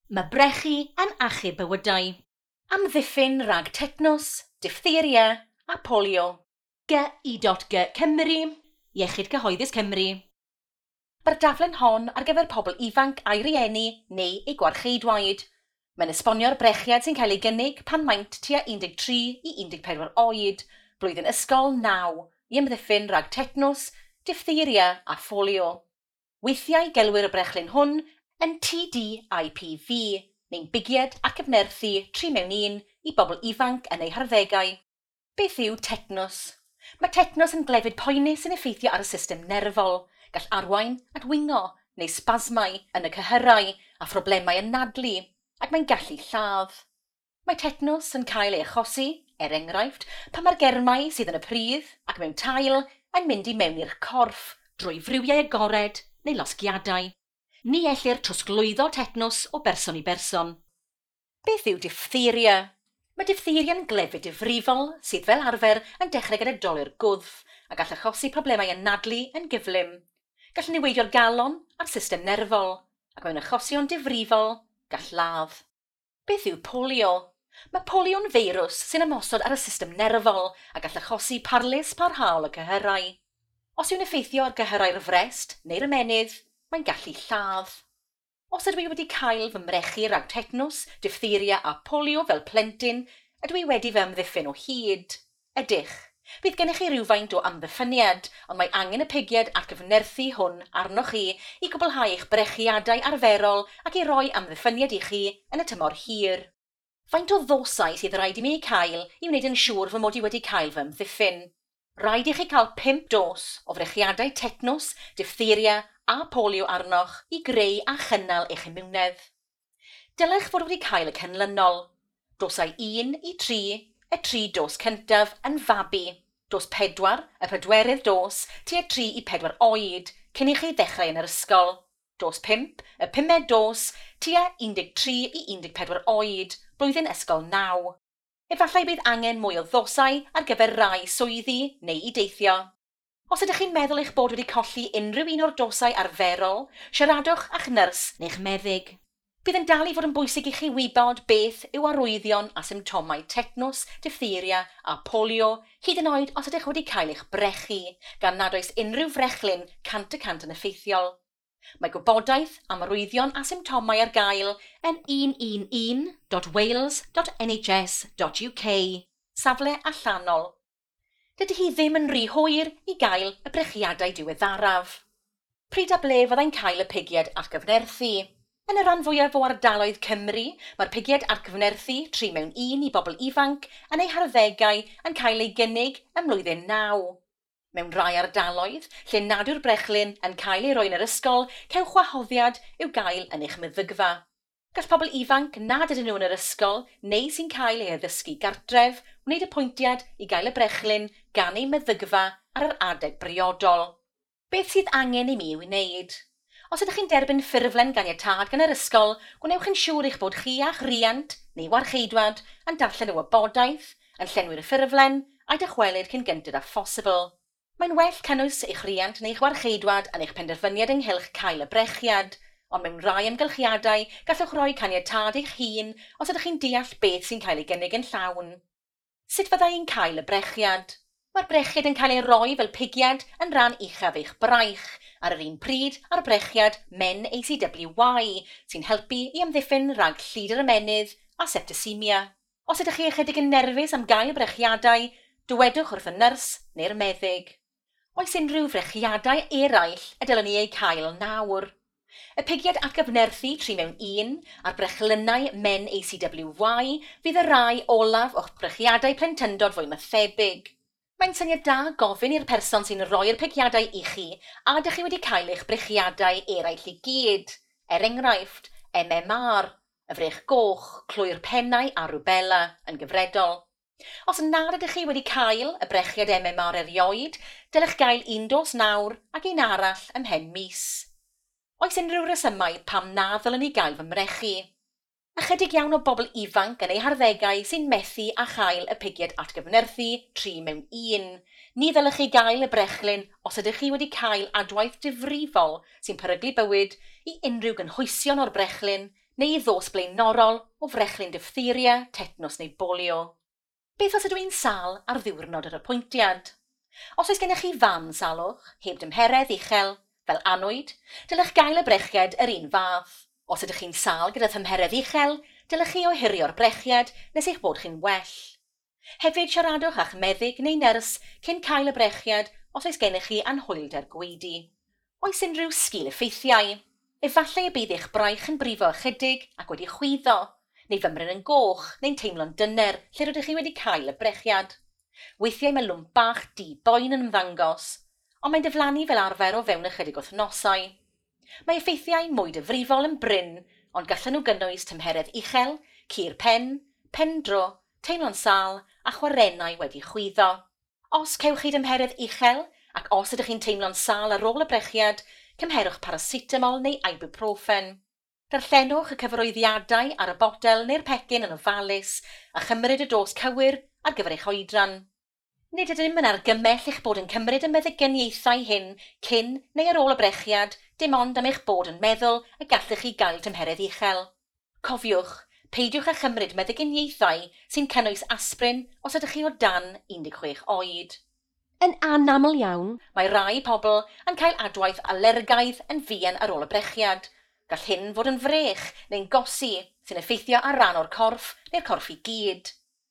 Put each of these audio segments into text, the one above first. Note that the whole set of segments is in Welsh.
Mae brechu yn achub bywydau. Amddiffyn rhag tetnws, diphtheria a polio. GI.G Cymru, Iechyd Cyhoeddus Cymru. Mae'r daflen hon ar gyfer pobl ifanc a'i rieni neu eu gwarcheidwaid. Mae'n esbonio'r brechiad sy'n cael ei gynnig pan maent tua 13 i 14 oed, blwyddyn ysgol 9, i amddiffyn rhag tetnws, diphtheria a pholio. Weithiau gelwir y brechlyn hwn yn TDIPV, neu'n bigiad atgyfnerthu 3 mewn 1 i bobl ifanc yn eu harddegau. Beth yw tetnws? Mae tetnws yn glefyd poenus sy'n effeithio ar y system nerfol. Gall arwain at wingo neu sbasmau yn y cyhyrau a phroblemau anadlu, ac mae'n gallu lladd. Mae tetnws yn cael ei achosi, er enghraifft, pan mae'r germau sydd yn y pridd ac mewn tail yn mynd i mewn i'r corff drwy friwiau agored neu losgiadau. Ni ellir trosglwyddo tetnws o berson i berson. Beth yw diphtheria? Mae diphtheria'n glefyd difrifol sydd fel arfer yn dechrau gyda dolur gwddf a gall achosi problemau anadlu yn gyflym. Gall niweidio'r galon a'r system nerfol, ac mewn achosion difrifol, gall ladd. Beth yw polio? Mae polio'n feirws sy'n ymosod ar y system nerfol a gall achosi parlys parhaol y cyhyrau. Os yw'n effeithio ar gyhyrau'r frest neu'r ymennydd, mae'n gallu lladd. Os ydw i wedi cael fy mrechu rhag tetnws, diphtheria a polio fel plentyn, ydw i wedi fy amddiffyn o hyd? Ydych. Bydd gennych chi rywfaint o amddiffyniad, ond mae angen y pigiad atgyfnerthu hwn arnoch chi i gwblhau eich brechiadau arferol ac i roi amddiffyniad i chi yn y tymor hir. Faint o ddosau sydd rhaid i mi eu cael i wneud yn siŵr fy mod i wedi cael fy amddiffyn? Rhaid i chi cael 5 dos o frechiadau tetnws, diphtheria a polio arnoch i greu a chynnal eich imiwnedd. Dylech fod wedi cael y canlynol. Dosau 1 i 3, y 3 dos cyntaf yn fabi. Dos 4, y pedwerydd dos, tua 3 i 4 oed, cyn i chi ddechrau yn yr ysgol. Dos 5, y pumed dos, tua 13 i 14 oed, blwyddyn ysgol 9. Efallai bydd angen mwy o ddosau ar gyfer rai swyddi neu i deithio. Os ydych chi'n meddwl eich bod wedi colli unrhyw un o'r dosau arferol, siaradwch â'ch nyrs neu'ch meddyg. Bydd yn dal i fod yn bwysig i chi wybod beth yw arwyddion a symptomau tetnws, diphtheria a polio, hyd yn oed os ydych wedi cael eich brechu, gan nad oes unrhyw frechlyn 100% yn effeithiol. Mae gwybodaeth am arwyddion a symptomau ar gael yn 111.wales.nhs.uk, safle allanol. Dydy hi ddim yn rhy hwyr i gael y brechiadau diweddaraf. Pryd a ble fyddai'n cael y pigiad atgyfnerthu? Yn y rhan fwyaf o ardaloedd Cymru, mae'r pigiad atgyfnerthu 3 mewn 1 i bobl ifanc yn eu harddegau yn cael ei gynnig ym mlwyddyn 9. Mewn rai ardaloedd, lle nad yw'r brechlyn yn cael ei roi yn yr ysgol, cewch wahoddiad i'w gael yn eich meddygfa. Gall pobl ifanc nad ydyn nhw yn yr ysgol neu sy'n cael eu addysgu gartref wneud apwyntiad i gael y brechlyn gan eu meddygfa ar yr adeg briodol. Beth sydd angen i mi i'w wneud? Os ydych chi'n derbyn ffurflen ganiatâd gan yr ysgol, gwnewch yn siŵr eich bod chi a'ch riant neu warcheidwad yn darllen y wybodaeth, yn llenwi'r ffurflen a'i dychwelyd cyn gynted â phosibl. Mae'n well cynnwys eich riant neu'ch warcheidwad yn eich penderfyniad ynghylch cael y brechiad, ond mewn rai amgylchiadau gallwch roi caniatâd eich hun os ydych chi'n deall beth sy'n cael ei gynnig yn llawn. Sut fydda i'n cael y brechiad? Mae'r brechiad yn cael ei roi fel pigiad yn rhan uchaf eich braich, ar yr un pryd â'r brechiad Men ACWY, sy'n helpu i amddiffyn rhag llid yr ymennydd a septicemia. Os ydych chi ychydig yn nerfus am gael y brechiadau, dywedwch wrth y nyrs neu'r meddyg. Oes unrhyw frechiadau eraill y dylwn i eu cael nawr? Y pigiad atgyfnerthu 3 mewn 1 a'r brechlynnau Men ACWY fydd y rai olaf o'ch brechiadau plentyndod fwy na thebyg. Mae'n syniad da gofyn i'r person sy'n rhoi'r pigiadau i chi a ydych chi wedi cael eich brechiadau eraill i gyd, er enghraifft MMR, y frech goch, clwy'r pennau a rubella yn gyfredol. Os nad ydych chi wedi cael y brechiad MMR erioed, dylech gael un dos nawr ac un arall ymhen mis. Oes unrhyw resymau pam na ddylwn i gael fy mrechu? Ychydig iawn o bobl ifanc yn eu harddegau sy'n methu a chael y pigiad atgyfnerthu 3 mewn 1. Ni ddylech chi gael y brechlyn os ydych chi wedi cael adwaith difrifol sy'n peryglu bywyd i unrhyw gynhwysion o'r brechlyn neu ddos blaenorol o frechlyn diphtheria, tetnws neu bolio. Beth os ydw i'n sâl ar ddiwrnod yr apwyntiad? Os oes gennych chi fan salwch, heb dymheredd uchel, fel annwyd, dylech gael y brechiad yr un fath. Os ydych chi'n sâl gyda thymheredd uchel, dylech chi ohirio'r brechiad nes eich bod chi'n well. Hefyd siaradwch â'ch meddyg neu nyrs cyn cael y brechiad os oes gennych chi anhwylder gwaedu. Oes unrhyw sgil-effeithiau? Efallai y bydd eich braich yn brifo ychydig ac wedi chwyddo, neu fymryn yn goch neu'n teimlo'n dyner lle rydych chi wedi cael y brechiad. Weithiau mae lwmp bach du boen yn ymddangos, ond mae'n diflannu fel arfer o fewn ychydig wythnosau. Mae effeithiau mwy difrifol yn brin, ond gallan nhw gynnwys tymheredd uchel, cur pen, pendro, teimlo'n sâl a chwarennau wedi chwyddo. Os cewch chi dymheredd uchel ac os ydych chi'n teimlo'n sâl ar ôl y brechiad, cymherwch paracetamol neu ibuprofen. Darllenwch y cyfarwyddiadau ar y botel neu'r pecyn yn ofalus a chymryd y dos cywir ar gyfer eich oedran. Nid ydym yn argymell eich bod yn cymryd y meddyginiaethau hyn cyn neu ar ôl y brechiad, dim ond am eich bod yn meddwl y gallech chi gael tymheredd uchel. Cofiwch, peidiwch â chymryd meddyginiaethau sy'n cynnwys aspirin os ydych chi o dan 16 oed. Yn anaml iawn, mae rai pobl yn cael adwaith alergaidd yn fuan ar ôl y brechiad. Gall hyn fod yn frech neu'n gosi sy'n effeithio ar ran o'r corff neu'r corff i gyd.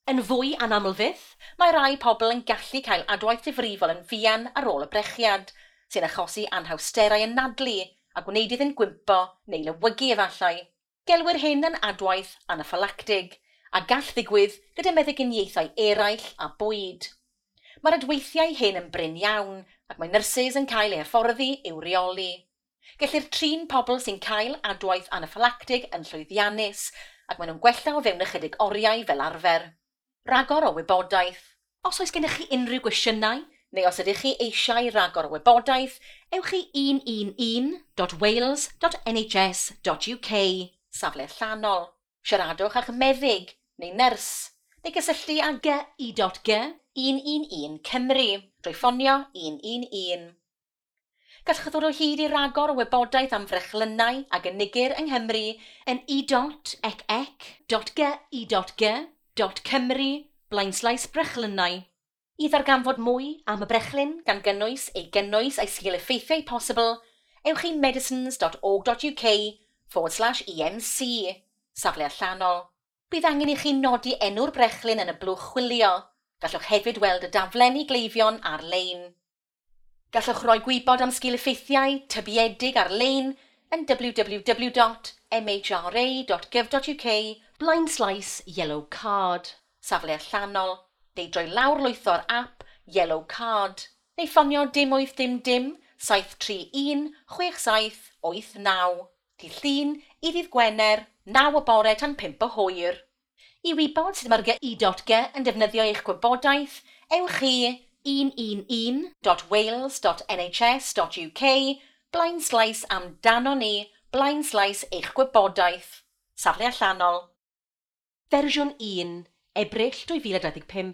Yn fwy anaml fyth, mae rai pobl yn gallu cael adwaith difrifol yn fuan ar ôl y brechiad, sy'n achosi anhawsterau anadlu a gwneud iddynt gwympo neu lewygu efallai. Gelwir hyn yn adwaith anaffylactig, a gall ddigwydd gyda meddyginiaethau eraill a bwyd. Mae'r adweithiau hyn yn brin iawn ac mae nyrsys yn cael eu hyfforddi i'w reoli. Gellir trin pobl sy'n cael adwaith anaffylactig yn llwyddiannus ac maen nhw'n gwella o fewn ychydig oriau fel arfer. Rhagor o wybodaeth. Os oes gennych chi unrhyw gwestiynau, neu os ydych chi eisiau rhagor o wybodaeth, ewch i 111.wales.nhs.uk, safle allanol. Siaradwch â'ch meddyg neu nyrs, neu gysylltu â GI.G 111 Cymru drwy ffonio 111. Gallwch ddod o hyd i ragor o wybodaeth am frechlynnau a gynigir yng Nghymru yn e.ec.gi.g.cymru blaenslaes brechlynnau. I ddarganfod mwy am y brechlyn gan gynnwys ei gynnwys a'i sgil-effeithiau posibl, ewch i medicines.org.uk/EMC, safle allanol. Bydd angen i chi nodi enw'r brechlyn yn y blwch chwilio. Gallwch hefyd weld y daflen i gleifion ar-lein. Gallwch roi gwybod am sgil-effeithiau tybiedig ar-lein yn www.mhra.gov.uk blaenslaes yellow card, safle allanol, neu drwy lawrlwytho'r app Yellow Card, neu ffonio dim 8 dim dim 731 6789, dydd Llun i ddydd Gwener, 9 o bore tan 5 o hwyr. I wybod sut mae'r GI.G yn defnyddio eich gwybodaeth, ewch i 111.wales.nhs.uk blaenslaes amdano ni blaenslaes eich gwybodaeth. Safle allanol. Fersiwn 1, Ebrill 2025.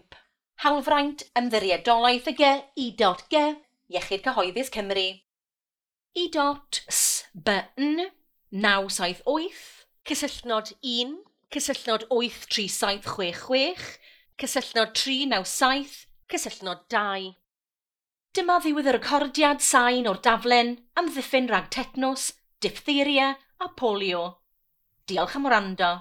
Hawlfraint Ymddiriedolaeth y GI.G, Iechyd Cyhoeddus Cymru. I.S.B.N 978, cysylltnod 1, cysylltnod 83766, cysylltnod 397, cysylltnod 2. Dyma ddiwedd y recordiad sain o'r daflen amddiffyn rhag tetnws, diphtheria a polio. Diolch am wrando.